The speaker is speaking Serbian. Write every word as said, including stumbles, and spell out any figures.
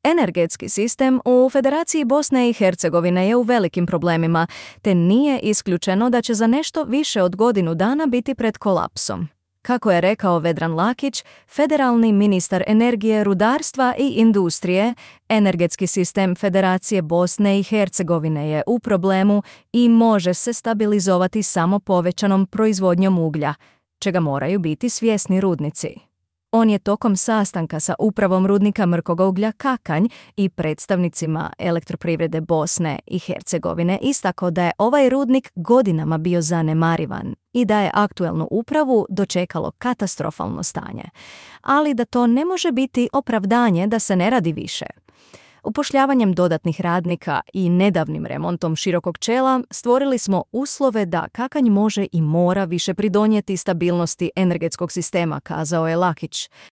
Energetski sistem u Federaciji Bosne i Hercegovine je u velikim problemima, te nije isključeno da će za nešto više od godinu dana biti pred kolapsom. Kako je rekao Vedran Lakić, federalni ministar energije, rudarstva i industrije, energetski sistem Federacije Bosne i Hercegovine je u problemu i može se stabilizovati samo povećanom proizvodnjom uglja, čega moraju biti svjesni rudnici. On je tokom sastanka sa upravom rudnika Mrkog uglja Kakanj i predstavnicima Elektroprivrede Bosne i Hercegovine istakao da je ovaj rudnik godinama bio zanemarivan i da je aktuelnu upravu dočekalo katastrofalno stanje, ali da to ne može biti opravdanje da se ne radi više. Upošljavanjem dodatnih radnika i nedavnim remontom širokog čela stvorili smo uslove da Kakanj može i mora više pridonijeti stabilnosti energetskog sistema, kazao je Lakić.